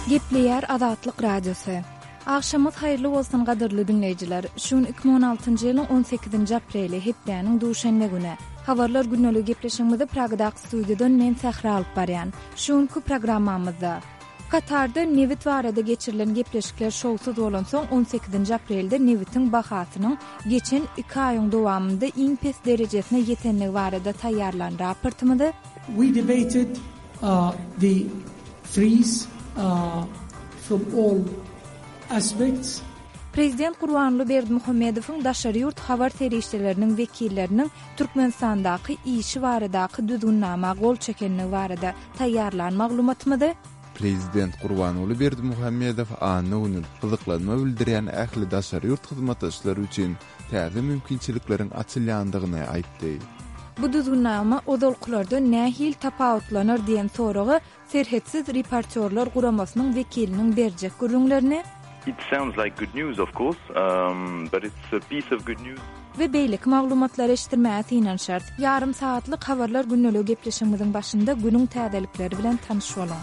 Gepleýär Azatlyk Radiosy. Agşamyňyz haýyrly bolsun gadyrly diňleýjiler. Şu gün 2016-njy ýylyň 18-nji apreli, hepdäniň duşenbe güni. Habarlar gündeligi gepleşigimizi Pragadaky studiýadan men Sähra alyp barýan. Şu günki programmamyzda. Katarda nebit barada geçirilen gepleşikler şowsuz bolansoň, on sekizinji aprelde nebitiň bahasynyň geçen iki aýyň dowamynda iň pes derejesine ýetendigi barada taýýarlan raportymyzy, We debated the freeze from all aspects. Prezident Gurbanguly Berdimuhamedowyň daşary ýurt habar serişdeleriniň wekilleriniň Türkmenistandaky işi baradaky düzgünnama gol çekenligi barada taýýarlan maglumatymyzy, Prezident Gurbanguly Berdimuhamedow anna güni gyzyklanma bildirýän ähli daşary ýurt hyzmatdaşlary üçin täze mümkinçilikleriň açylýandygyny aýtdy. Bu düzgünnama ozalkylardan nähili tapawutlanar diýen soraga Serhetsiz reportýorlar guramasynyň wekiliniň berjek gürrüňlerini, It sounds like good news, of course, but it's a piece of good news. We beýleki maglumatlary eşitdirmäge synanyşarys. Ýarym sagatlyk Habarlar gündeligi gepleşigimiziň başynda günüň täzelikleri bilen tanyş boluň.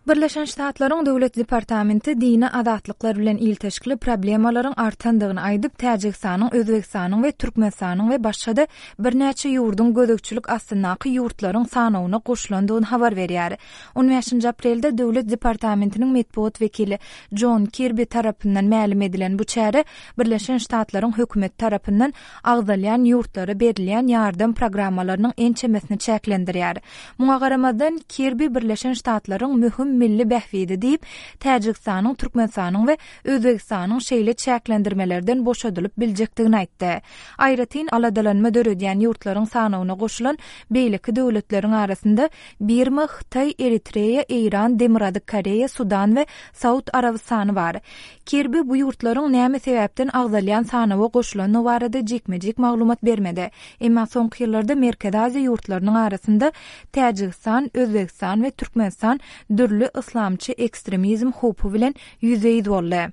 Birleşen Ştatlaryň Döwlet departamenti dini azatlyklar bilen ilteşikli problemalaryň artandygyny aýdyp, Täjigistanyň, Özbegistanyň we Türkmenistanyň we başga-da birnäçe ýurduň gözegçilik astyndaky ýurtlaryň sanawyna goşulandygyny habar berýär. On bäşinji aprelde Döwlet departamentiniň metbugat wekili Jon Kirbi tarapyndan mälim edilen bu çäre Birleşen Ştatlaryň hökümeti tarapyndan agzalýan ýurtlara berilýän ýardam programmalarynyň ençemesini çäklendirýär. Muňa garamazdan, Kirbi Birleşen Ştatlaryň möhüm milli bähbidi diýip, Täjigistanyň, Türkmenistanyň we Özbegistanyň şeýle çäklendirmelerden boşadylyp biljekdigini aýtdy. Aýratyn aladalanma döredýän ýurtlaryň sanawyna goşulan beýleki döwletleriň arasynda Birma, Hytaý, Eritreýa, Eýran, Demirgazyk Koreýa, Sudan we Saud Arabystany bar. Kirbi bu ýurtlaryň näme sebäpden agzalýan sanawa goşulandygy barada jikme-jik maglumat bermedi. Emma soňky ýyllarda Merkezi Aziýa ýurtlarynyň arasynda Täjigistan, Özbegistan we Türkmenistan dürli yslamçy ekstremizm howpy bilen ýüzbe-ýüz boldy.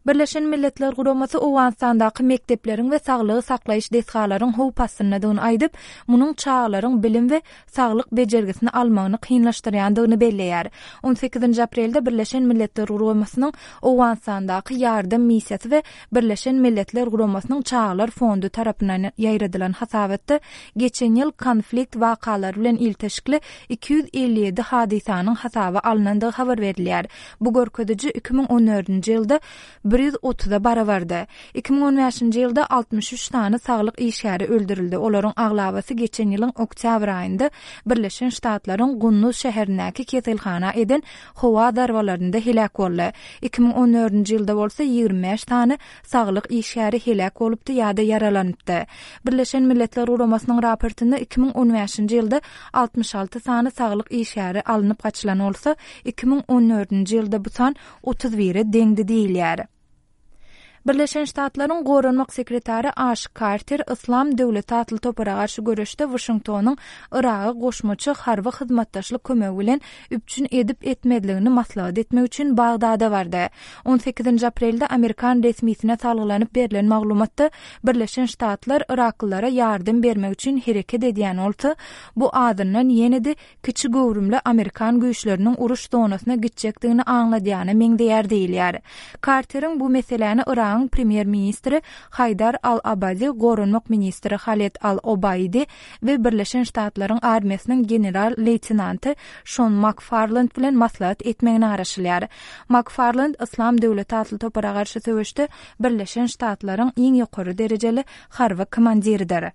Birleşen Milletler Guramasy Owganystandaky mekdepleriň we saglygy saklaýyş desgalaryň howp astyndadygyny aýdyp, munuň çagalaryň bilim we saglyk bejergisini almagyny kynlaşdyrýandygyny belleýär. On sekizinji aprelde Birleşen Milletler Guramasynyň Owganystandaky ýardam missiýasy we Birleşen Milletler Guramasynyň Çagalar fondy tarapyndan ýaýradylan hasabatda geçen ýyl konflikt wakalary bilen ilteşikli 257 hadysanyň hasaba alnandygy habar berilýär. Bu görkeziji 2014-nji ýylda 130-a barabardy. 2015-nji ýylda 63 sany saglyk işgäri öldürildi, olaryň aglabasy geçen ýylyň oktýabr aýynda Birleşen Ştatlaryň Gunduz şäherindäki keselhana eden howa zarbalarynda heläk boldy. 2014-nji ýylda bolsa 25 sany saglyk işgäri heläk bolupdy ýa-da ýaralanypdy. Birleşen Milletler Guramasynyň raportynda 2015-nji ýylda 66 sany saglyk işgäri alnyp gaçylan bolsa, 2014-nji ýylda bu san 31-e deňdi diýilýär. Birleşen Ştatlaryň Goranmak sekretary Aş Karter Yslam döwleti atly topara garşy göreşde Waşingtonyň Yragy goşmaça harby hyzmatdaşlyk kömegi bilen üpjün edip-etmezligini maslahat etmek üçin Bagdada bardy. On sekizinji aprelde amerikan resmisine salgylanyp berlen maglumatda Birleşen Ştatlar yraklylara ýardam bermek üçin hereket edýän bolsa, bu azyndan ýene-de kiçi göwrümli amerikan güýçleriniň uruş zonasyna gitjekdigini aňladýana meňzeýär diýilýär. Karteriň bu meseläni Yragyň premýer-ministri Haýdar al-Abadi, goranmak ministri Haled al-Obaidi we Birleşen Ştatlaryň armiýasynyň general-leýtenanty Şon Makfarland bilen maslahat etmegine garaşylýar. Makfarland Yslam döwleti atly topara garşy söweşde Birleşen Ştatlaryň iň ýokary derejeli harby komandiridir.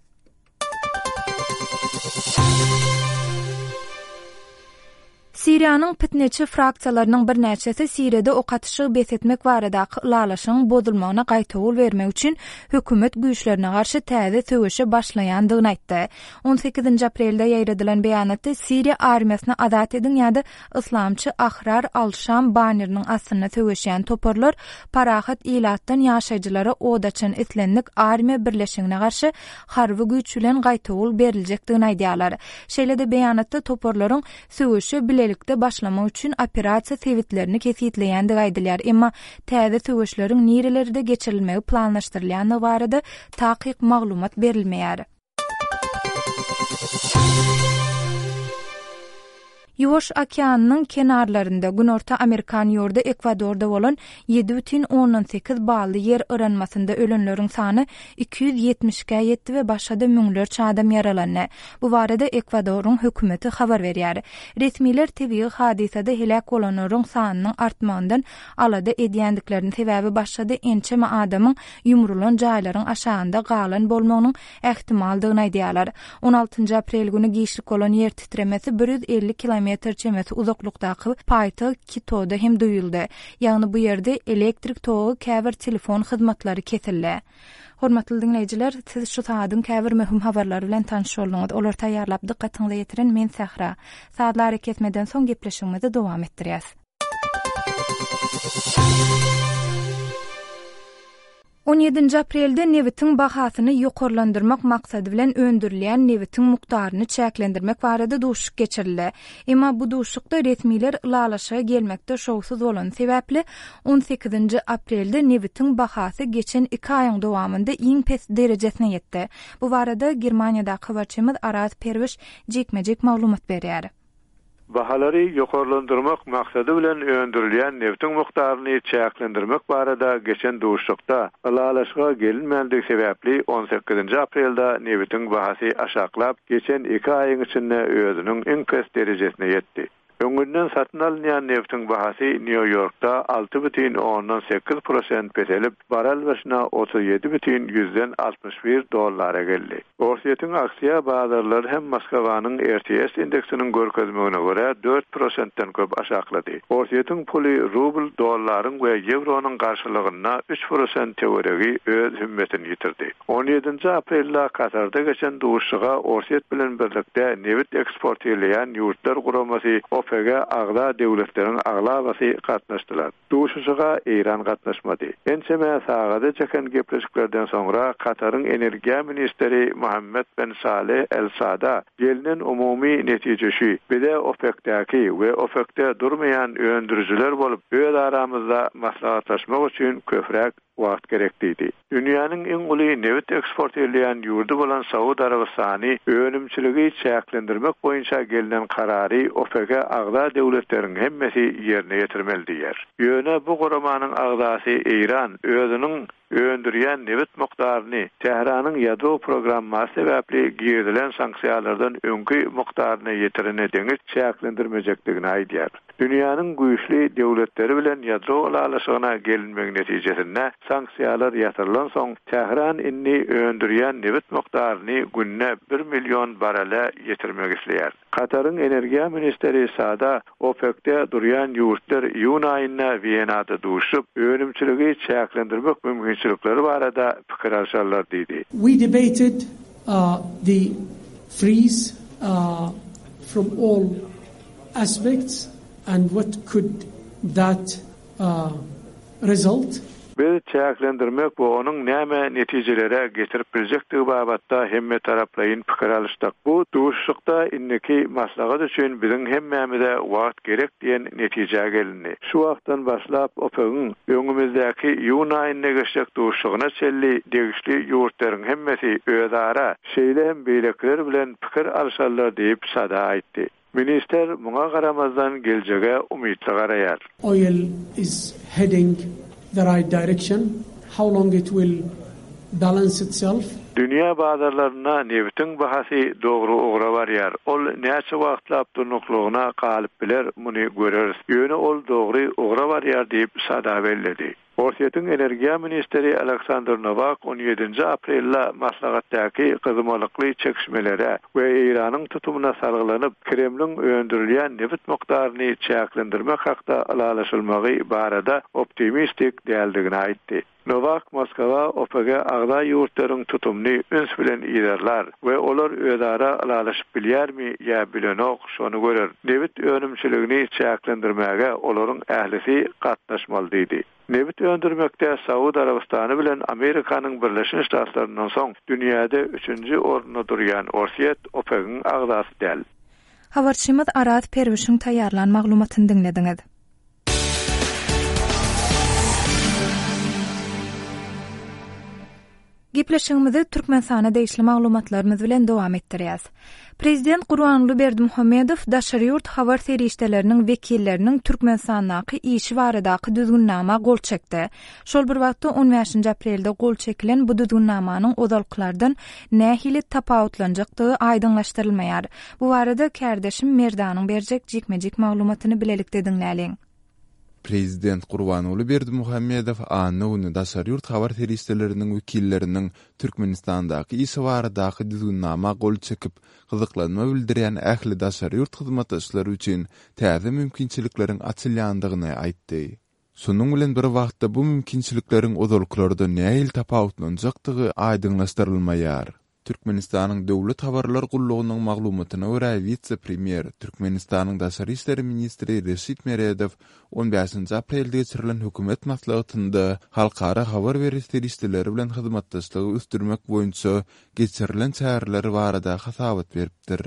Siriýanyň pitneçi fraksiýalarynyň birnäçesi Siriýada ok atyşygy bes etmek baradaky ylalaşygyň bozulmagyna gaýtawul bermek üçin hökümet güýçlerine garşy täze söweşe başlaýandygyny aýtdy. On sekizinji aprelde ýaýradylan beýanatda Siriýa armiýasyny azat ediň ýa-da Yslamçy Ahrar al-Şam banneriniň astynda söweşýän toparlar parahat ilatdan ýaşaýjylara od açan islendik armiýa birleşigine garşy harby güýç bilen gaýtawul beriljekdigini aýdýarlar. Şeýle-de beýanatda toparlaryň söweşe bilelikde başlamak üçin operasiýa sebitlerini kesgitleýändigi aýdylýar, emma täze söweşleriň nirelerde geçirilmegi planlaşdyrylýandygy barada takyk maglumat berilmeýär. Ýuwaş okeanynyň kenarlarynda, Günorta Amerikan ýurdy Ekwadorda bolan 7,8 bally ýer yranmasynda ölenleriň sany 272-ä ýetdi we başga-da müňlerçe adam ýaralandy. Bu barada Ekwadoryň hökümeti habar berýär. Resmiler tebigy hadysada heläk bolanlaryň sanynyň artmagyndan alada edýändiklerini, sebäbi başga-da ençeme adamyň ýumrulan jaýlaryň aşagynda galan bolmagynyň ähtimaldygyny aýdýarlar. On altynjy aprel güni giçlik bolan ýer titremesi 150 kilometr çemesi uzaklykdaky paýtagt Kitoda hem duýuldy. Ýagny bu ýerde elektrik togy, käbir telefon hyzmatlary kesildi. Hormatly diňleýjiler, siz şu sagadyň käbir möhüm habarlary bilen tanyş bolduňyz. Olary taýýarlap dykgatyňyza ýetiren men Sähra. Sazly arakesmeden soň gepleşigimizi dowam etdirýäs. On ýedinji aprelde nebitiň bahasyny ýokarlandyrmak maksady bilen öndürilýän nebitiň mukdaryny çäklendirmek barada duşuşyk geçirildi. Emma bu duşuşykda resmiler ylalaşyga gelmekde şowsuz bolany sebäpli, on sekizinji aprelde nebitiň bahasy geçen iki aýyň dowamynda iň pes derejesine ýetdi. Bu barada Germaniýadaky habarçymyz Araz Perwiş jikme-jik maglumat berýär. Bahalary ýokarlandyrmak maksady bilen öndürilýän nebtiň mukdaryny çäklendirmek barada geçen duşuşykda ylalaşyga gelinmändigi sebäpli on sekizinji aprelde nebitiň bahasy aşaklap, geçen iki aýyň içinde özüniň iň pes derejesine ýetdi. Öňünden satyn alynýan nebtiň bahasy Nýu-Ýorkda 6,8 prosent peselip, barrel başyna 37,61 dollara geldi. Orsýetiň aksiýa bazarlary hem Moskwanyň RTS indeksiniň görkezmegine görä, dört prosentden köp aşaklady. Orsýetiň puly rubl dollaryň we ýewronyň garşylygynda üç prosent töweregi öz hümmetini ýitirdi. On ýedinji aprelde Katarda geçen duşuşyga Orsýet bilen birlikde nebit eksportirleýän ýurtlar guramasy OPEG-e agza döwletleriň aglabasy gatnaşdylar. Duşuşyga Eýran gatnaşmady. Ençeme sagada çeken gepleşiklerden soňra Kataryň energiýa ministri Mohammed ben Saleh El Sada gelnen umumy netije şu, bize OPEC-däki we OPEC-de durmaýan öndürijiler bolup öz aramyzda maslahatlaşmak üçin köpräk wagt gerek diýdi. Dünýäniň iň uly nebit eksport edýän ýurdy bolan Saud Arabystany önümçiligi çäklendirmek boýunça gelnen karary OPEC-e agza döwletleriň hemmesi ýerine ýetirmeli diýýär. Ýöne bu guramanyň agzasy Eýran özüniň öndürýän nebit mukdaryny Tähranyň ýadro programmasy sebäpli girizilen sanksiýalardan öňki mukdaryna ýetirene deňiç çäklendirmejekdigini aýdýar. Dünýäniň güýçli döwletleri bilen ýadro ylalaşygyna gelinmegi netijesinde sanksiýalar ýatyrylansoň, Tähran indi öndürýän nebit mukdaryny günde bir million barrele ýetirmek isleýär. Kataryň energiýa ministri Sada OPEC-de durýan ýurtlar iýun aýynda Wenada duşup, önümçiligi çäklendirmek mümkinçilikleri barada pikir alşarlar diýdi. We debated the freeze from all aspects and what could that result? Biz çäklendirmek we onuň näme netijelere getirip biljekdigi babatda hemmetaraplaýyn pikir alyşdyk. Bu duşuşykda indiki maslahat üçin biziň hemmämize wagt gerek diýen netijä gelindi. Şu wagtdan başlap OPEC-iň öňümizdäki iýun aýynda geçjek duşuşygyna çenli degişli ýurtlaryň hemmesi özara, şeýle hem beýlekiler bilen pikir alşarlar diýip, Sada aýtdy. Ministr muňa garamazdan geljege umytly garaýar. Oil is heading the right direction, how long it will balance itself? Dünýä bazarlarynda nebitiň bahasy dogry ugra barýar. Ol näçe wagtlap durnuklygyna galyp biler, muny göreris. Ýöne ol dogry ugra barýar diýip, Sada belledi. Orsýetiň energiýa ministri Aleksandr Nowak on ýedinji aprelde maslahatdaky gyzmalykly çekişmelere we Eýranyň tutumyna salgylanyp, Kremliň öndürilýän nebit mukdaryny çäklendirmek hakda ylalaşylmagy barada optimistik däldigini aýtdy. Nowak Moskwa OPEC-e agza ýurtlaryň tutumyny üns bilen yzarlar we olar özara ylalaşyp bilýärmi ýa bilenok, şony görer. Nebit önümçiligini çäklendirmäge olaryň ählisi gatnaşmaly diýdi. Nebit öndürmekde Saud Arabystany bilen Amerikanyň Birleşen Ştatlaryndan soň dünýäde üçünji orunda durýan Orsýet OPEC-iň agzasy däl. Habarçymyz Araz Perwişiň taýýarlan maglumatyny diňlediňiz. Gepleşigimizi Türkmenistana degişli maglumatlarymyz bilen dowam etdirýäs. Prezident Gurbanguly Berdimuhamedow daşary ýurt habar serişdeleriniň wekilleriniň Türkmenistandaky işi baradaky düzgünnama gol çekdi. Şol bir wagtda on bäşinji aprelde gol çekilen bu düzgünnamanyň ozalkylardan nähili tapawutlanjakdygy aýdyňlaşdyrylmaýar. Bu barada kärdeşim Merdanyň berjek jikme-jik maglumatyny bilelikde diňläliň. Prezident Gurbanguly Berdimuhamedow anna güni daşary ýurt habar serişdeleriniň wekilleriniň Türkmenistandaky işi baradaky düzgünnama gol çekip, gyzyklanma bildirýän ähli daşary ýurt hyzmatdaşlary üçin täze mümkinçilikleriň açylýandygyny aýtdy. Şonuň bilen bir wagtda bu mümkinçilikleriň ozalkylardan nähili tapawutlanjakdygy aýdyňlaşdyrylmaýar. Türkmenistanyň Döwlet habarlar gullugynyň maglumatyna görä, wise-premýer, Türkmenistanyň daşary işler ministri Reşit Meredow on bäşinji aprelde geçirilen hökümet maslahatynda halkara habar beriş serişdeleri bilen hyzmatdaşlygy ösdürmek boýunça geçirilen çäreler barada hasabat beripdir.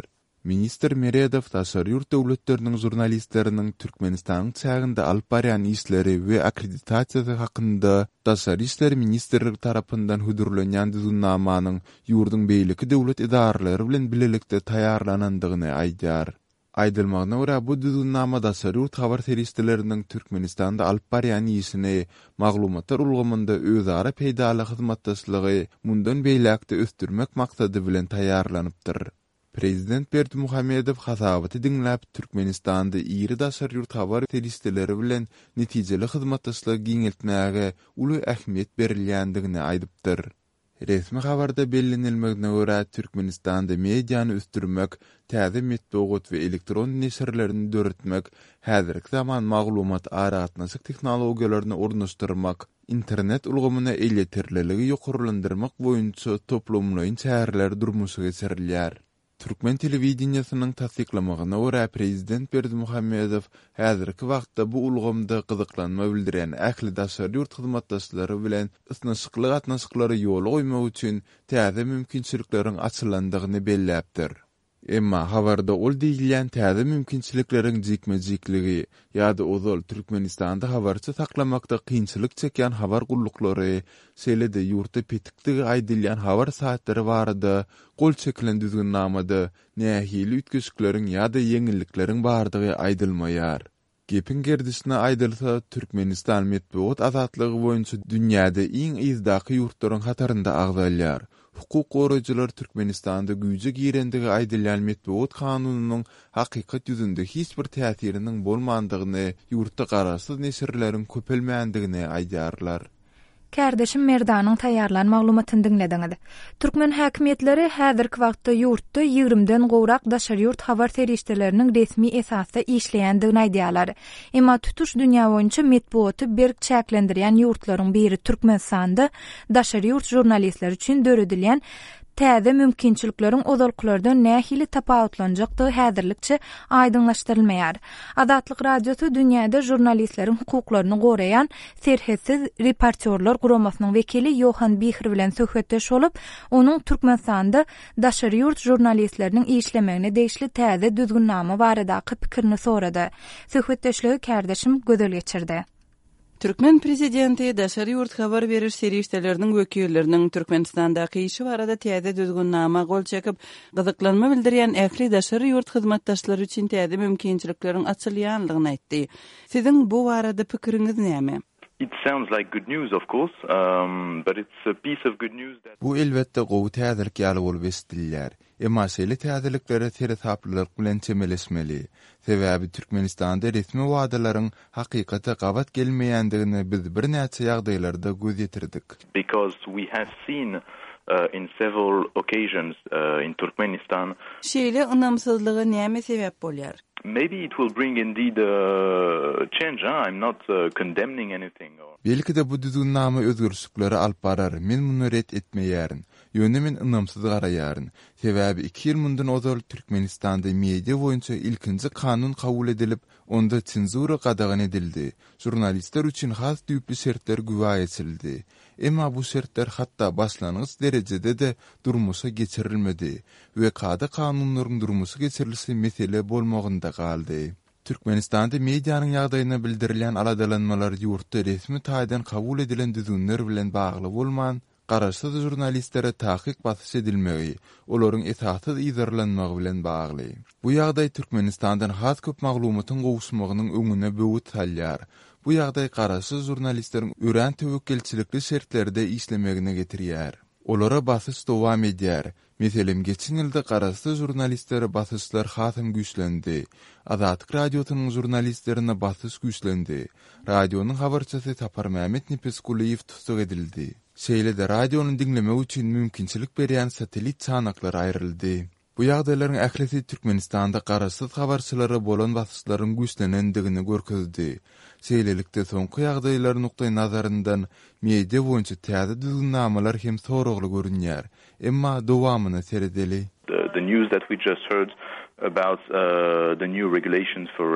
Ministr Meredow daşary ýurt döwletleriniň žurnalistleriniň Türkmenistanyň çäginde alyp barýan işleri we akkreditasiýasy hakynda Daşary işler ministrligi tarapyndan hödürlenýän düzgünnamanyň ýurduň beýleki döwlet edaralary bilen bilelikde taýýarlanandygyny aýdýar. Aýdylmagyna görä, bu düzgünnama daşary ýurt habar serişdeleriniň Türkmenistanda alyp barýan işini, maglumatlar ulgamynda özara peýdaly hyzmatdaşlygy mundan beýläk-de ösdürmek maksady bilen taýýarlanypdyr. Prezident Berdimuhamedow hasabaty diňläp, Türkmenistanda iri daşary ýurt habar serişdeleri bilen netijeli hyzmatdaşlygy giňeltmäge uly ähmiýet berilýändigini aýdypdyr. Resmi habarda bellenilmegine görä, Türkmenistanda mediany ösdürmek, täze metbugat we elektron neşirlerini döretmek, häzirki zaman maglumat-aragatnaşyk tehnologiýalaryny ornaşdyrmak, Internet ulgamyna elýeterliligi ýokarlandyrmak boýunça toplumlaýyn çäreler durmuşa geçirilýär. Türkmen telewideniýesiniň tassyklamagyna görä, prezident Berdimuhamedow häzirki wagtda bu ulgamda gyzyklanma bildirýän ähli daşary ýurt hyzmatdaşlary bilen ysnyşykly gatnaşyklary ýola goýmak üçin täze mümkinçilikleriň açylandygyny belläpdir. Emma habarda ol diýilýän täze mümkinçilikleriň jikme-jikligi ýa-da ozal Türkmenistanda habarçy saklamakda kynçylyk çekýän habar gulluklary, şeýle-de ýurtda petikdigi aýdylýan habar saýtlary barada gol çekilen düzgünnamada nähili üýtgeşikleriň ýa-da ýeňillikleriň bardygy aýdylmaýar. Gepiň gerdişine aýdylsa, Türkmenistan metbugat azatlygy boýunça dünýäde iň yzdaky ýurtlaryň hatarynda agzalýar. Hukuk goraýjylar Türkmenistanda güýje girendigi aýdylýan metbugat kanunynyň hakykat ýüzünde hiç bir täsiriniň bolmandygyny, ýurtda garaşsyz neşirleriň köpelmändigini aýdýarlar. Kärdeşim Merdanyň taýýarlan maglumatyny diňlediňiz. Türkmen häkimiýetleri häzirki wagtda ýurtda ýigrimden gowrak daşary ýurt habar serişdeleriniň resmi esasda işleýändigini aýdýarlar. Emma tutuş dünýä boýunça metbugaty berk çäklendirýän ýurtlaryň biri Türkmenistanda daşary ýurt žurnalistleri üçin döredilýän täze mümkinçilikleriň ozalkylardan nähili tapawutlanjakdygy häzirlikçe aýdyňlaşdyrylmaýar. Azatlyk Radiosy dünýäde žurnalistleriň hukuklaryny goraýan Serhetsiz reportýorlar guramasynyň wekili Ýohan Bihr bilen söhbetdeş bolup, onuň Türkmenistanda daşary ýurt žurnalistleriniň işlemegine degişli täze düzgünnama baradaky pikirini sorady. Söhbetdeşligi kärdeşim Gözel geçirdi. Türkmen prezidenti daşary ýurt habar beriş serişdeleriniň wekilleriniň Türkmenistandaky işi barada täze düzgünnama gol çekip, gyzyklanma bildirýän ähli daşary ýurt hyzmatdaşlary üçin täze mümkinçilikleriň açylýanlygyny aýtdy. Siziň bu barada pikiriňiz näme? It sounds like good news of course, but it's a piece of good news that. Bu elbetde gowy täzelik ýaly bolup eşidilýär. Emma şeýle täzeliklere seresaplylyk bilen çemeleşmeli. Sebäbi Türkmenistanda resmi wadalaryň hakykata gabat gelmeýändigine biz birnäçe ýagdaýlarda göz ýetirdik. Because we have seen in several occasions in Turkmenistan. Şeýle ynamsyzlyga näme sebäp bolýar? Maybe it will bring indeed a change, huh? I'm not condemning anything or. Belki-de bu düzgünnama özgerişliklere alyp barar, men muny ret etmeýärin. Ýöne men ynamsyz garaýaryn. Sebäbi iki ýyl mundan ozal Türkmenistanda media boýunça ilkinji kanun kabul edilip, onda senzura gadagan edildi, žurnalistler üçin has düýpli şertler güwä geçirildi. Emma bu şertler hatda başlangyç derejede-de durmuşa geçirilmedi we kada-kanunlaryň durmuşa geçirilişi mesele bolmagynda galdy. Türkmenistanda medianyň ýagdaýyna bildirilýän aladalanmalar ýurtda resmi taýdan kabul edilen düzgünler bilen bagly bolman, garaşsyz žurnalistlere takyk basyş edilmegi, olaryň esassyz yzarlanmagy bilen bagly. Bu ýagdaý Türkmenistandan has köp maglumatyň gowuşmagynyň öňüne böwet salýar. Bu ýagdaý garaşsyz žurnalistleriň örän töwekgelçilikli şertlerde işlemegine getirýär. Olara basyş dowam edýär. Meselem, geçen ýylda garaşsyz žurnalistlere basyşlar hasam güýçlendi. Azatlyk Radiosynyň žurnalistlerine basyş güýçlendi. Radionyň habarçysy Saparmämmet Nepesgulyýew tussag edildi. Şeýle-de radiony diňlemek üçin mümkinçilik berýän satellit çanaklary aýryldy. Bu ýagdaýlaryň ählisi Türkmenistanda garaşsyz habarçylara bolan basyşlaryň güýçlenendigini görkezdi. Şeýlelikde, soňky ýagdaýlar nukdaýnazaryndan media boýunça täze düzgünnamalar hem soragly görünýär. Emma dowamyna seredeli. The news that we just heard about the new regulations for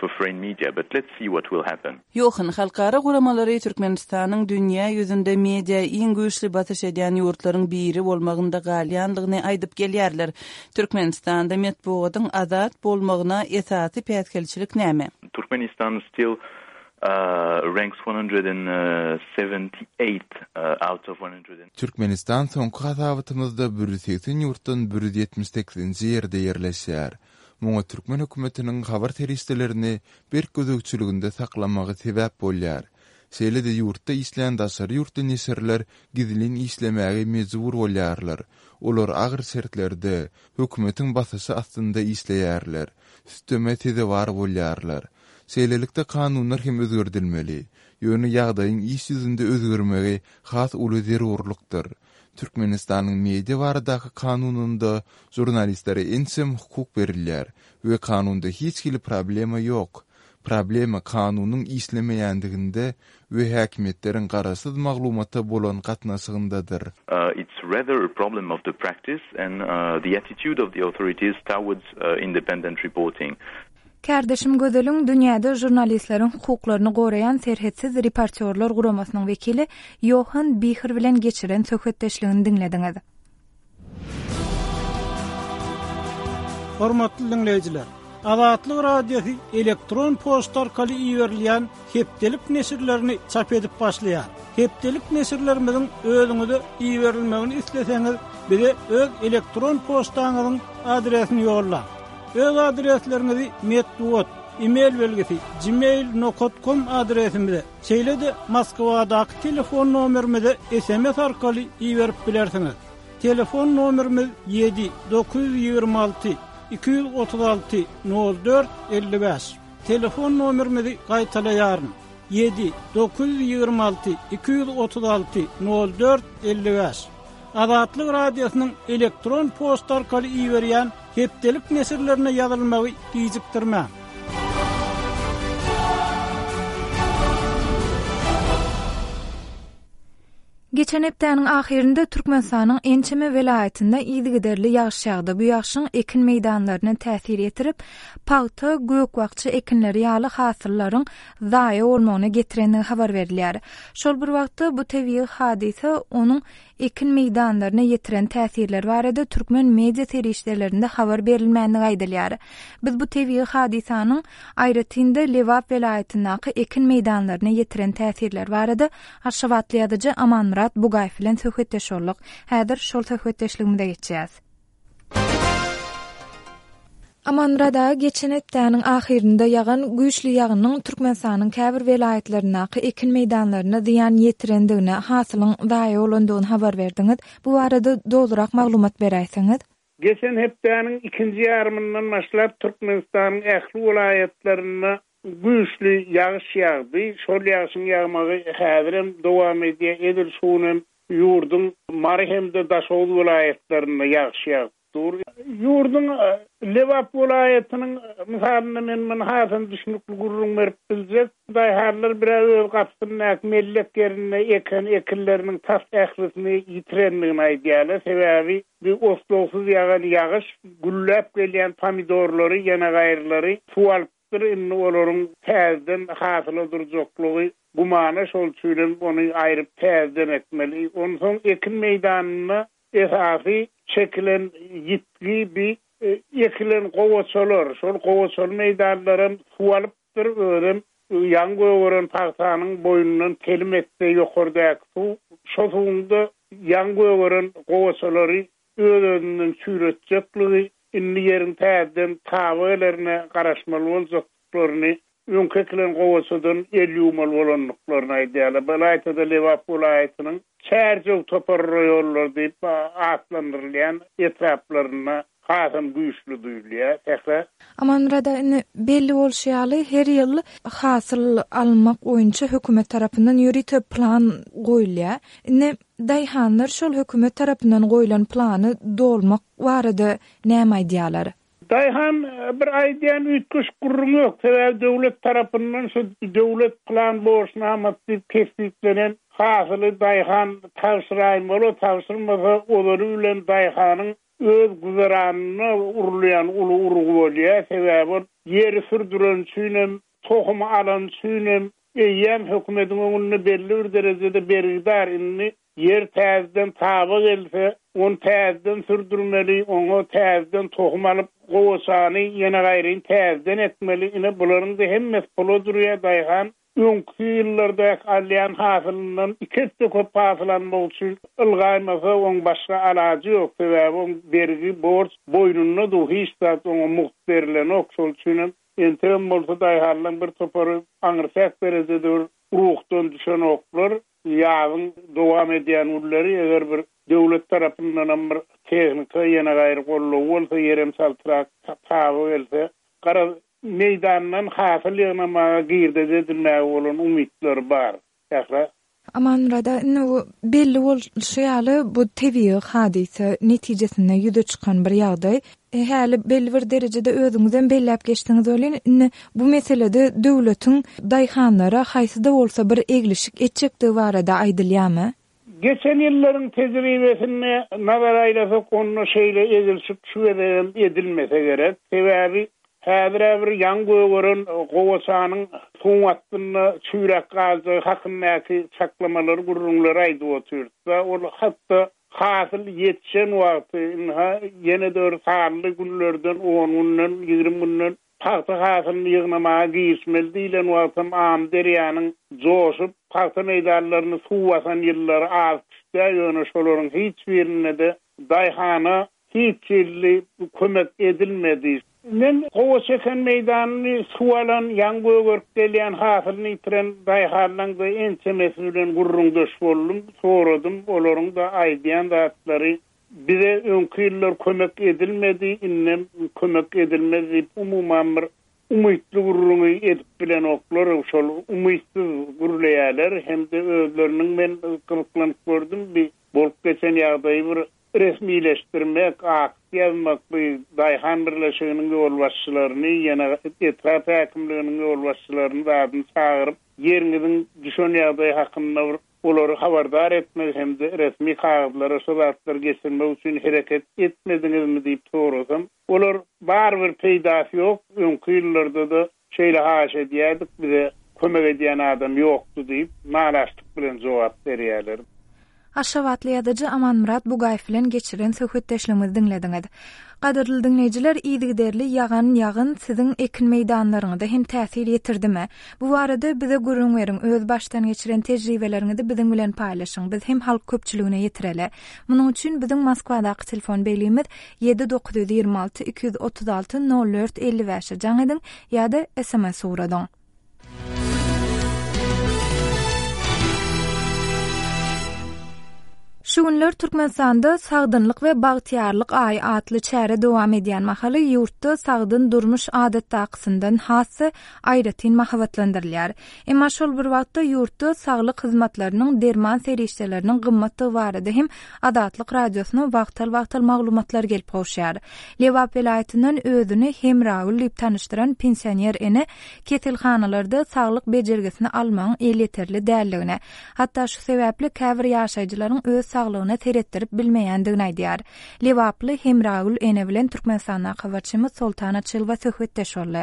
for foreign media, but let's see what will happen. Ýohan, halkara guramalary Türkmenistanyň dünýä ýüzünde media iň güýçli basyş edýän ýurtlaryň biri bolmagynda galýandygyny aýdyp gelýärler. Türkmenistanda metbugatyň azat bolmagyna esasy päsgelçilik näme? Turkmenistan still ranks 178 out of 100. Türkmenistan soňky hasabatymyzda 180 ýurtdan 178-nji ýerde ýerleşýär. Muňa türkmen hökümetiniň habar serişdelerini berk gözegçiliginde saklamagy sebäp bolýar. Şeýle-de ýurtda işleýän daşary ýurtly neşirler gizlin işlemäge mejbur bolýarlar. Olar agyr şertlerde, hökümetiň basyşy astynda işleýärler, süteme sezewar bolýarlar. Şeýlelikde kanunlar hem özgerdilmeli. Ýöne ýagdaýyň iş ýüzünde özgermegi has uly zerurlykdyr. Türkmenistanyň Media baradaky kanunynda žurnalistlere ençeme hukuk berilýär we kanunda hiç hili problema ýok. Problema kanunyň işlemeýändiginde we häkimiýetleriň garaşsyz maglumata bolan gatnaşygyndadyr. It's rather a problem of the practice and the attitude of the authorities towards independent reporting. Kärdeşim Gözeliň dünýäde žurnalistleriň hukuklaryny goraýan Serhetsiz reportýorlar guramasynyň wekili Ýohan Bihr bilen geçiren söhbetdeşligini diňlediňiz. Hormatly diňleýjiler! Azatlyk Radiosy elektron poçta arkaly iberilýän hepdelik neşirlerini çap edip başlaýar. Hepdelik neşirlerimiziň özüňize iberilmegini isleseňiz, bize öz elektron poçtaňyzyň adresini ýollaň. Öz adresleriňizi metbugat, e-mail belgisi, gmail nokat kom adresimize, şeýle-de Moskwadaky telefon nomerimize sms arkaly iberip bilersiňiz. Telefon nomerimiz ýedi, 926 236 04 55. Telefon nomerimizi gaýtalaýaryn, ýedi, 926 236 04 55. Azatlyk Radiosynyň elektron poçta arkaly iberýän hepdelik neşirlerine ýazylmagy gijikdirmäň. Geçen hepdäniň ahyrynda Türkmenistanyň ençeme welaýatynda yzygiderli ýagyş ýagdy. Bu ýagşyň ekin meýdanlaryna täsir ýetirip, pagta, gök-bakja ekinleri ýaly hasyllaryň zaýa bolmagyna getirendigi habar berilýär. Şol bir wagtda, bu tebigy hadysa onuň ekin meýdanlaryna ýetiren täsirleri barada türkmen media serişdelerinde habar berilmändigi aýdylýar. Biz bu tebigy hadysanyň, aýratyn-da, Lebap welaýatyndaky ekin meýdanlaryna ýetiren täsirleri barada aşgabatly ýazyjy Amanmyrat Bugaýew bilen söhbetdeş bolduk. Häzir şol söhbetdeşligimize geçýäs. Amanmyrat aga, geçen hepdäniň ahyrynda ýagan güýçli ýagynyň Türkmenistanyň käbir welaýatlaryndaky ekin meýdanlaryna zyýan ýetirendigini, hasylyň zaýa bolandygyny habar berdiňiz. Bu barada dolurak maglumat beräýseňiz? Geçen hepdäniň ikinji ýarymyndan başlap Türkmenistanyň ähli welaýatlarynda güýçli ýagyş ýagdy. Şol ýagşyň ýagmagy häzirem dowam edýär. Edil şu gün hem Ýurduň Mary hem-de Daşoguz welaýatlarynda ýagyş ýagyp dur. Ýurduň Lebap welaýatynyň mysalynda men muny hasam düşnükli gürrüň berip biljek. Daýhanlar bir-ä öz gapysyndaky mellek ýerinde eken ekinleriniň tas ählisini ýitirendigini aýdýarlar. Sebäbi bu oslagsyz ýagan ýagyş gülläp gelýän pomidorlary, ýanagaýrylary suw alypdyr. Indi olaryň täzeden hasyla durjaklygy Gümana şol üçinem ony aýryp täzeden ekmeli. Onsoň ekin meýdanynda esasy çekilen ýitgi bi ekilen gowaçalar. Şol gowaçaly meýdanlaram suw alypdyr, özem ýaňy gögeren pagtanyň boýundan telim etse ýokardaky suw, şo suwuň-da. ýaňy gögeren gowaçalary öz-özünden çüýretjekligi, indi ýeriň täzeden taba gelerine garaşmaly boljakdyklaryny, öňki ekilen gowaçadan el ýuwmaly bolandyklaryny aýdýarlar. Bu ylaýta-da Lebap welaýatynyň Çärjew topar raýonlary diýip atlandyrylýan etraplarynda hasam güýçli duýulýar. Sähra. Amanmyrat aga, indi belli bolşy ýaly, her ýyl hasyl almak boýunça hökümet tarapyndan ýörite plan goýulýar. Indi daýhanlar şol hökümet tarapyndan goýlan plany dolmak barada näme aýdýarlar? Daýhan bir aýdýan üýtgeşik gürrüň ýok. Sebäbi döwlet tarapyndan şu döwlet plan borçnamasy diýip kesgitlenen hasyly daýhan tabşyraýmaly, tabşyrmasa ozaly bilen daýhanyň öz güzeranyna urulýan uly urgy bolýar. Sebäbi ol ýeri sürdüren üçinem, tohumy alan üçinem eýýäm hökümetiň öňünde belli bir derejede bergidar. Indi Ýer täzeden taba gelse, ony täzeden sürdürmeli, oňa täzeden tohum alyp, gowaçany ýene gaýryn täzeden ekmeli. Ine, bularyň-da hemmesi pula durýar. Daýhan öňki ýyllardaky alýan hasylyndan iki esse köp hasyl almak üçin ylgaýmasa, oň başga alajy ýok. Sebäbi oň bergi, borç boýnunda dur, hiç zat oňa mugt berilenok. Şol üçinem entegem bolsa daýhanlaryň bir topary aňryçäk derejede bir ruhdan düşenoklar. Ýazyň dowam edýän günleri eger bir döwlet tarapyndanam bir tehnika ýene gaýry goldaw bolsa, ýerem çaltrak taba gelse, garaz, meýdandan hasyl ýygnamaga, girdeji edinmäge bolan umytlary bar. Sähra. Amanmyrat aga, indi bu belli bolşy ýaly, bu tebigy hadysa netijesinde ýüze çykan bir ýagdaý. Häli belli bir derejede özüňizem belläp geçdiňiz welin, indi bu meselede döwletiň daýhanlara haýsy-da bolsa bir eglişik etjekdigi barada aýdylýarmy? Geçen ýyllaryň tejribesine nazar aýlasak, onda şeýle eglişik şu gezegem edilmese gerek. Sebäbi häzir-ä bir ýaňy gögeren gowaçanyň suwuň astynda çüýräp galjagy hakyndaky çaklamalary, gürrüňleri aýdyp otyrys-da. Ol hat-da Hasyl ýetişen wagty, ynha, ýene-de bir sanly günlerden, on günden, 20 günden pagta hasylyny ýygnamaga girişmeli diýlen wagtam Amyderýanyň joşup, pagta meýdanlaryny suw basan ýyllary az-küş däl, ýöne şolaryň hiç birinde-de daýhana hiç hili kömek edilmedi. Men gowaça eken meýdanyny suw alan, ýaňy gögerip gelýän hasylyny ýitiren daýhanlaň-da ençemesi bilen gürrüňdeş boldum, soradym, olaryň-da aýdýan zatlary bize öňki ýyllar kömek edilmedi, indem kömek edilmez diýip umuman bir umytly gürrüňi edip bilenoklar, şol umytsyz gürleýärler hem-de özleriniň men gyzyklanyp gördüm bi bolup geçen ýagdaýy bir Resmileşdirmek, akt ýazmak bu daýhan birleşiginiň ýolbaşçylaryny, ýene etrap häkimliginiň ýolbaşçylaryny zadyny çagyryp, ýeriňiziň düşen ýagdaýy hakynda bir olary habardar etmek hem-de resmi kagyzlara şo zatlary geçirmek üçin hereket etmediňizmi diýip sorasam, olar barybir peýdasy ýok, öňki ýyllarda-da Şeýle haýyş edýärdik, bize kömek edýän adam ýokdy diýip, nalaçlyk bilen jogap berýärler. Aşgabatly ýazyjy Amanmyrat Bugaýew bilen geçiren söhbetdeşligimizi diňlediňiz. Gadyrly diňleýjiler, yzygiderli ýagan ýagyn siziň ekin meýdanlaryňyza hem täsir ýetirdimi? Bu barada bize gürrüň beriň, öz başdan geçiren tejribeleriňizi biziň bilen paýlaşyň, biz hem halk köpçüligine ýetireli. Munuň üçin biziň Moskwadaky telefon belgimiz Ýedi 926 236 04 55-e jaň ediň ýa-da sms ugradyň. Şu günler Türkmenistanda Sagdynlyk we bagtyýarlyk aýy atly çäre dowam edýän mahaly ýurtda sagdyn durmuş adatdakysyndan has-da aýratyn mahabatlandyrylýar. Emma şol bir wagtda ýurtda saglyk hyzmatlarynyň, derman serişdeleriniň gymmatdygy barada hem Azatlyk Radiosyna wagtal-wagtal maglumatlar gelip gowuşýar. Lebap welaýatyndan özüni Hemragül diýip tanyşdyran pensioner ene keselhanalarda saglyk bejergisini almagyň elýeterli däldigini, hatda şu sebäpli käbir ýaşaýjylaryň öz saglygyna seretdirip bilmeýändigini aýdýar. Lebaply Hemragül ene bilen Türkmenistandaky habarçymyz Soltan Açylowa söhbetdeş boldy.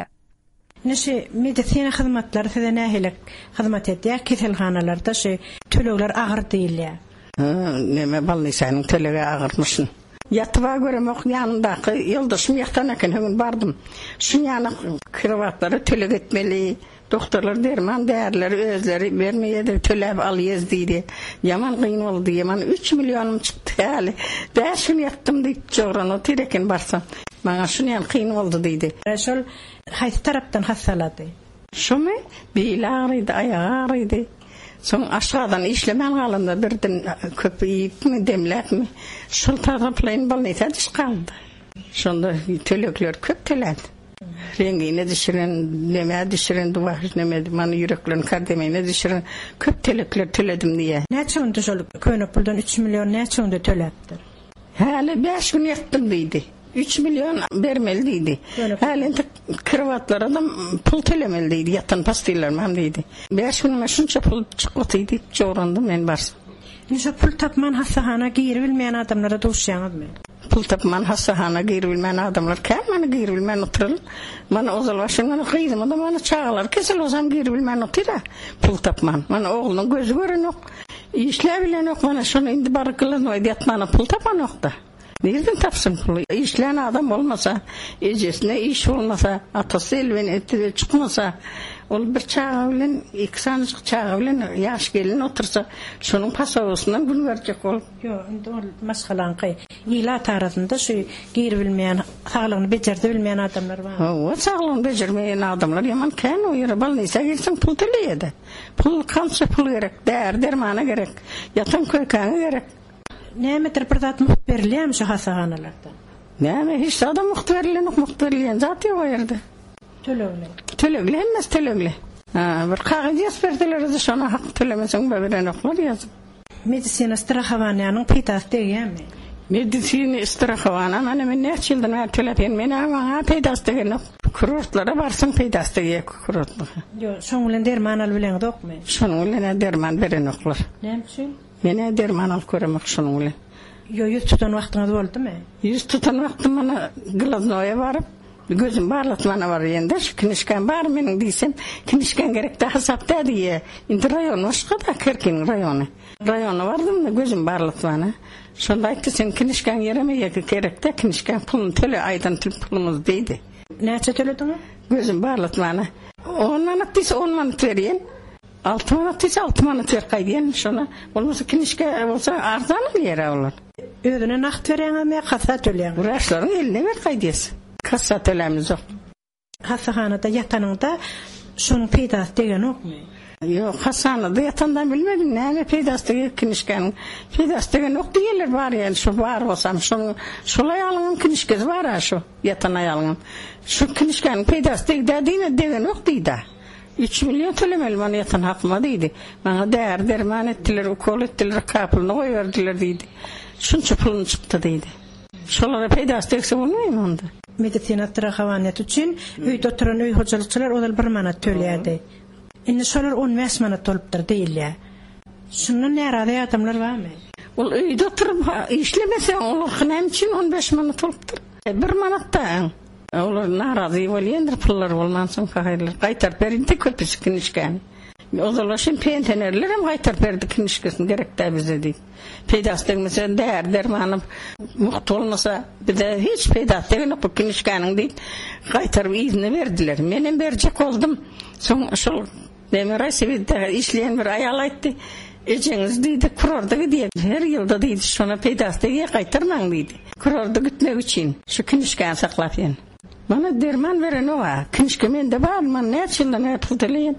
Indi şu medisina hyzmatlary size nähili hyzmat edýär? Keselhanalarda şu tölegler agyr diýilýär. Neme bolnisanyň tölegi agyrmyşyn. Ýatyba göremok, ýanymdaky ýoldaşym ýatan eken, höňün bardym. Şuň ýaly krowatlara töleg etmeli, doktorlar derman därileri özleri bermeýärler, töläp alýas diýdi. Ýaman gyn boldy, ýaman üç millionym çykdy häli. Bäş gün ýatdym diýip jogran otyr eken barsam. Maňa şuny ýaly kyn boldy diýdi. Şol haýsy tarapdan hassalady? Şomy? Beli agrydy, aýagy agrydy. Soň aşgazany işlemän galanda birden köp iýipmi, demläpmi, şol taraplaýyn bolnisa düş galdy. Şonda tölegler köp tölädi. Rengine düşüren, nemä düşüren, duwaş neme, mana ýüreklerini kardemine düşüren köp tölegler töledim diýýär. Näçe günde şol köne puldan üç million näçe günde töläpdir? Häli bäş gün ýatdym diýdi. Üç million bermeli diýdi. Häli entek krowatlara-da pul tölemeli diýdi, ýatan postillerimem diýdi. Bäş günüme şunça pul çykgyty diýip jograndym men barsam. Indi şo pul tapman hassahana giribilmeýän adamlara duşýaňyzmy? Pul tapman hassahana giribilmän adamlar kän mana giribilmän oturyl. Mana ozal başdan mana gyzyma-da mana çagalary kesel bolsam giribilmän otyr-a pul tapman. Mana oglunyň gözi görenok. Işläbilenok mana şony indi baryp glannoýda ýatmana pul tapanokda. Nirden tapsyn puly? Işlän adam bolmasa, ejesine iş bolmasa, atasy elben etide çykmasa, ol bir çaga bilen, iki sanyjyk çaga bilen ýaş gelin otursa, şonuň pasobasyndan gün görjek bolup. Ýok, indi ol maşgalaňky. Ilat arasynda şu giribilmeýän, saglygyny bejerdibilmeýän adamlar bar. Hawa, saglygyny bejermeýän adamlar ýaman kän o ýere bolnisa girseň pul töleýä-de. Pul kança pul gerek, däri dermana gerek, ýatan köýkäňe gerek. Nämedir bir zat mugt berilýärmi şu hassahanalarda? Näme hiç zadam mugt berilenok, mugt berilýän zat ýok o ýerde. Tölegli. Tölegli hemmesi tölegli. Ha, bir kagyz ýazyp berseler-de şona hak tölemeseň berenoklar ýazyp. Medisina strahowaniýanyň peýdasy degýärmi? Medisina strahowaniýa mana men näçe ýyldan bäri töläp ýörün, men-ä maňa peýdasy degenok. Kurortlara barsaň peýdasy degýär kurortlara. Ýok, şoň bilen derman alyp bileňzokmy? Şonuň bilen-ä derman berenoklar. Näme üçin? Men-ä derman alyp göremok şonuň bilen. Ýok, ýüz tutan wagtyňyz boldumy? Ýüz tutan wagtym mana glaznoýa baryp, gözüm barlatmana barýan-da, şu kinişkam bar meniň diýsem, kinişkaň gerek dä, hasap dä diýýär. Indi raýon başga-da, Kerkiniň raýony. Raýona bardym-da, gözüm barlatmana. Şonda aýtdy, seň kinişkaň ýeremeýär, gerek dä, kinişkaň puluny töle, aýdan pulumyzy diýdi. Näçe tölediňiz? Gözüm barlatmana. On manat diýse, on manat berýän. Alty manat diýse, alty manat berip gaýdýan şona. Bolmasa kinişka bolsa arzan alýar-a olar. Özüne nagt berýäňizmi ýa kassa töleýäňizmi? Wraçlaryň eline berip gaýdýas. Kassa tölämizok. Hassahanada ýatanyňda şonuň peýdasy degenokmy? Ýok, hassahanada ýatanda bilmedim näme peýdasy deger kinişkanyň. Peýdasy degenok diýerler bar ýaly şo bar bolsam şonuň şol aýalyňam kinişkesi bar-a şo ýatan aýalyňam. Şu kinişkanyň peýdasy degdä diýme degenok diýdä. Üç million tölemeli mana ýatan hakyma diýdi. Maňa däri-derman etdiler, ukol etdiler, kapylyny goýberdiler diýdi. Şunça pulum çykdy diýdi. Şolara peýdasy degse bolmaýmy onda? Medisina strahowaniýasy üçin öýde oturan öý hojalykçylar ozal bir manat töleýärdi. Indi şolar on bäş manat bolupdyr diýilýär. Şundan närazy adamlar barmy? Ol öýde oturyp işlemese olarky näme üçin on bäş manat bolupdyr? Bir manat-da öň. Olar narazy bolýandyr pullary bolmansoň pahyrlar gaýtaryp berindi köpüsi kinişkäni. Ozal başym pensionerlerem gaýtaryp berdi kinişkesini gerek däl bize diýip. Peýdasy degmese däri dermany mugt bolmasa bize hiç peýdasy degenok bu kinişkäniň diýip gaýtaryp yzyna berdiler. Menem berjek boldum. Soň şol Neme Raýsowetde işleýän bir aýal aýtdy, Ejeňiz diýdi, kurorda gidýär, her ýylda diýdi, şona peýdasy degýär, gaýtarmaň diýdi. Kurorda gitmek üçin şu kinişkäni saklap ýen. Mana derman berenok-a. Kinişke mende bar, mana näçe ýyldan bäri pul töleýän.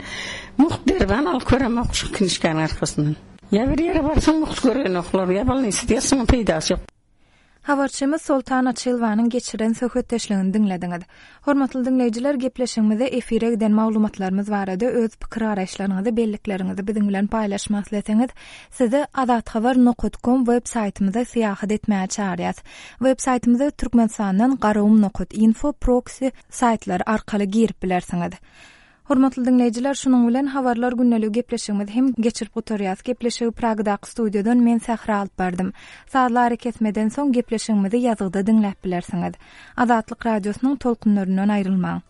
Mugt derman alyp göremok şu kinişkäniň arkasyndan. Ýa bir ýere barsaň mugt görenoklar, ýa bolnisada ýatsaň peýdasy ýok. Habarçymyz Soltan Açylowanyň geçiren söhbetdeşligini diňlediňiz. Hormatly diňleýjiler, gepleşigimizde efire giden maglumatlarymyz barada öz pikir-garaýyşlaryňyzy, bellikleriňizi biziň bilen paýlaşmak isleseňiz, sizi azathabar nokat kom web saýtymyza syýahat etmäge çagyrýas. Web saýtymyza Türkmenistandan garagum nokat info proksi saýtlary arkaly girip bilersiňiz. Hormatly diňleýjiler, şunuň bilen Habarlar gündeligi gepleşigimizi hem geçirip gutarýas. Gepleşigi Pragadaky studiýadan men Sähra alyp bardym. Sazly arakesmeden soň gepleşigimizi ýazgyda diňläp bilersiňiz. Azatlyk Radiosynyň tolkunlaryndan aýrylmaň.